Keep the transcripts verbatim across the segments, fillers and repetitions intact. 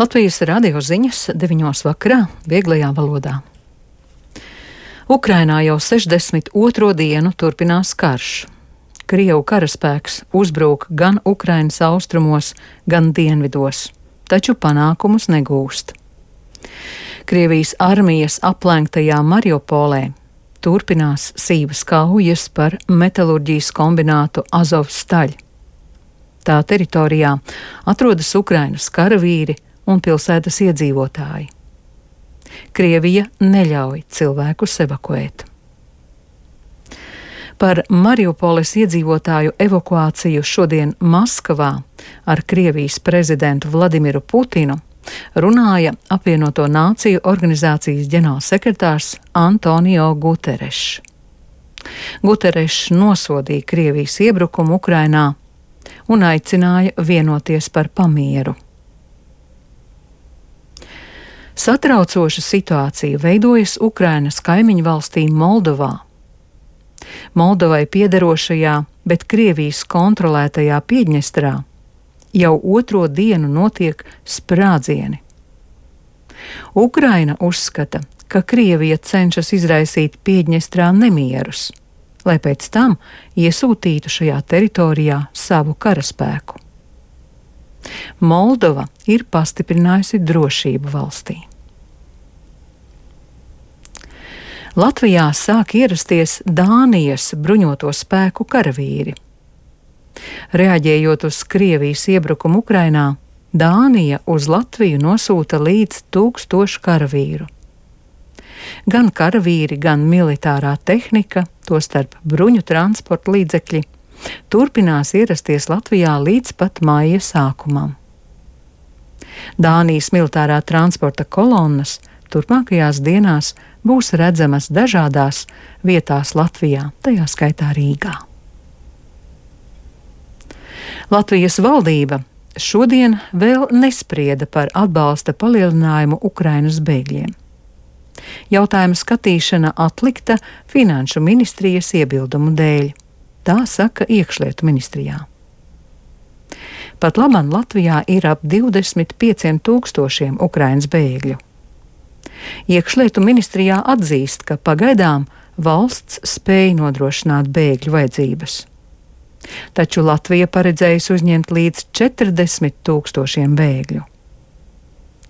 Latvijas radio ziņas deviņos vakarā vieglajā valodā. Ukrainā jau sešdesmit otro dienu turpinās karš. Krievu karaspēks uzbrūk gan Ukrainas austrumos, gan dienvidos, taču panākumus negūst. Krievijas armijas aplenktajā Mariupolē turpinās sīvas kaujas par metalurģijas kombinātu Azovstaļ. Tā teritorijā atrodas Ukrainas karavīri un pilsētas iedzīvotāji. Krievija neļauj cilvēkus evakuēt. Par Mariupoles iedzīvotāju evakuāciju šodien Maskavā ar Krievijas prezidentu Vladimiru Putinu runāja apvienoto nāciju organizācijas ģenerālsekretārs Antonio Guterešs. Guterešs nosodīja Krievijas iebrukumu Ukrainā un aicināja vienoties par pamieru. Satraucoša situācija veidojas Ukrainas kaimiņu valstī Moldovā. Moldovai piederošajā, bet Krievijas kontrolētajā Piedņestrā jau otro dienu notiek sprādzieni. Ukraina uzskata, ka Krievija cenšas izraisīt Piedņestrā nemierus, lai pēc tam iesūtītu šajā teritorijā savu karaspēku. Moldova ir pastiprinājusi drošību valstī. Latvijā sāk ierasties Dānijas bruņoto spēku karavīri. Reaģējot uz Krievijas iebrukumu Ukrainā, Dānija uz Latviju nosūta līdz tūkstošu karavīru. Gan karavīri, gan militārā tehnika, tostarp bruņu transporta līdzekļi, turpinās ierasties Latvijā līdz pat maija sākumam. Dānijas militārā transporta kolonnas turpmākajās dienās būs redzamas dažādās vietās Latvijā, tajā skaitā Rīgā. Latvijas valdība šodien vēl nesprieda par atbalsta palielinājumu Ukrainas bēgļiem. Jautājuma skatīšana atlikta Finanšu ministrijas iebildumu dēļ. Tā saka Iekšlietu ministrijā. Pat labam Latvijā ir ap divdesmit pieciem tūkstošiem Ukrainas bēgļu. Iekšlietu ministrijā atzīst, ka pagaidām valsts spēj nodrošināt bēgļu vajadzības. Taču Latvija paredzējusi uzņemt līdz četrdesmit tūkstošiem bēgļu.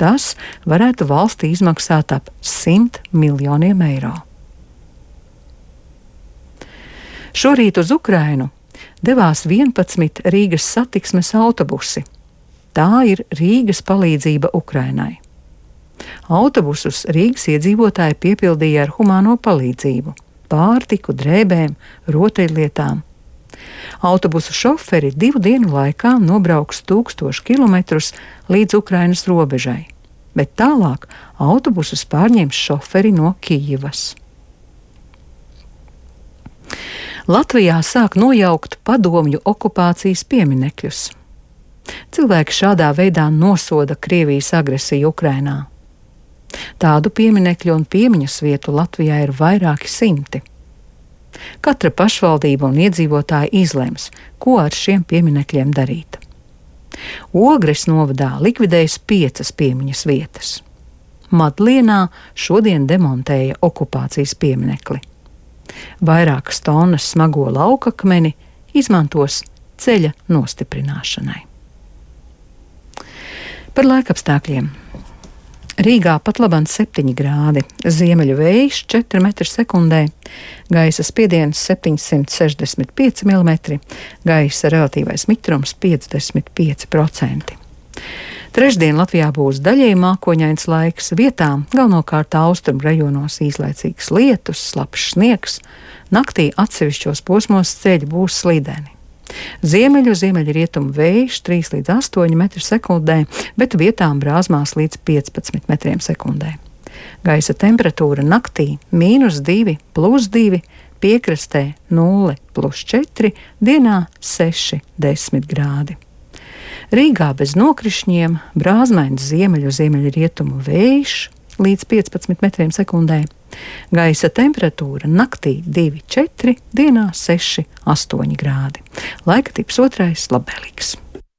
Tas varētu valstī izmaksāt ap simt miljoniem eiro. Šorīt uz Ukrainu devās vienpadsmit Rīgas satiksmes autobusi. Tā ir Rīgas palīdzība Ukrainai. Autobusus Rīgas iedzīvotāji piepildīja ar humāno palīdzību, pārtiku, drēbēm, rotaļlietām. Autobusu šoferi divu dienu laikā nobrauks tūkstošu kilometrus līdz Ukrainas robežai, bet tālāk autobusus pārņems šoferi no Kijivas. Latvijā sāk nojaukt padomju okupācijas pieminekļus. Cilvēki šādā veidā nosoda Krievijas agresiju Ukrainā. Tādu pieminekļu un piemiņas vietu Latvijā ir vairāki simti. Katra pašvaldība un iedzīvotāji izlems, ko ar šiem pieminekļiem darīt. Ogres novadā likvidējas piecas piemiņas vietas. Madlienā šodien demontēja okupācijas pieminekli. Vairākas tonnas smago laukakmeni izmantos ceļa nostiprināšanai. Par laikapstākļiem. Rīgā pat labāk septiņi grādi, ziemeļu vējš četri metri sekundē, gaisa spiediens septiņsimt sešdesmit pieci milimetri, gaisa relatīvais mitrums piecdesmit pieci procenti. Trešdien Latvijā būs daļēji mākoņains laiks, vietām galvenokārt austrumu rajonos īslaicīgs lietus, slapjš sniegs, naktī atsevišķos posmos ceļi būs slideni. Ziemeļu, ziemeļrietumu vējš trīs līdz astoņi metri sekundē, bet vietām brāzmās līdz piecpadsmit metriem sekundē. Gaisa temperatūra naktī mīnus divi, plus divi, piekrastē nulle, plus četri, dienā seši, desmit grādi. Rīgā bez nokrišņiem, brāzmains ziemeļu, ziemeļrietumu vējš līdz piecpadsmit metriem sekundē. Gaisa temperatūra naktī divi, četri, dienā seši, astoņi grādi. Laika tips otrais labvēlīgs.